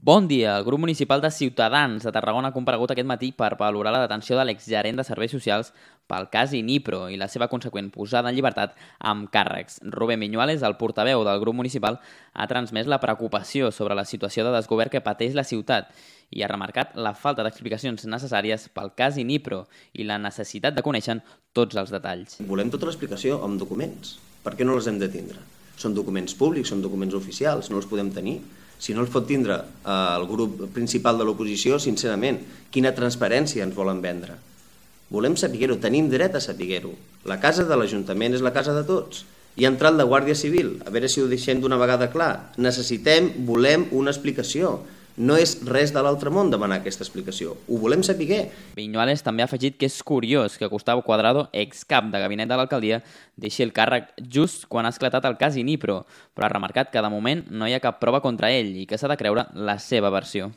Bon dia. El grup municipal de Ciutadans de Tarragona ha comparegut aquest matí per valorar la detenció de l'exgerent de Serveis Socials pel cas Inipro i la seva conseqüent posada en llibertat amb càrrecs. Rubén Viñuales, el portaveu del grup municipal, ha transmès la preocupació sobre la situació de desgovern que pateix la ciutat i ha remarcat la falta d'explicacions necessàries pel cas Inipro i la necessitat de conèixer tots els detalls. Volem tota l'explicació amb documents. Per què no les hem de tindre? Són documents públics, són documents oficials, no els podem tenir. Si no els pot tindre el grup principal de l'oposició, sincerament, quina transparència ens volen vendre? Volem saber-ho, tenim dret a saber-ho. La casa de l'Ajuntament és la casa de tots. Hi ha entrat la Guàrdia Civil, a veure si ho deixem d'una vegada clar. Volem una explicació. No és res de l'altre món demanar aquesta explicació. Ho volem saber. Viñuales també ha afegit que és curiós que Gustavo Cuadrado, excap de gabinet de l'alcaldia, deixi el càrrec just quan ha esclatat el cas Inipro, però ha remarcat que de moment no hi ha cap prova contra ell i que s'ha de creure la seva versió.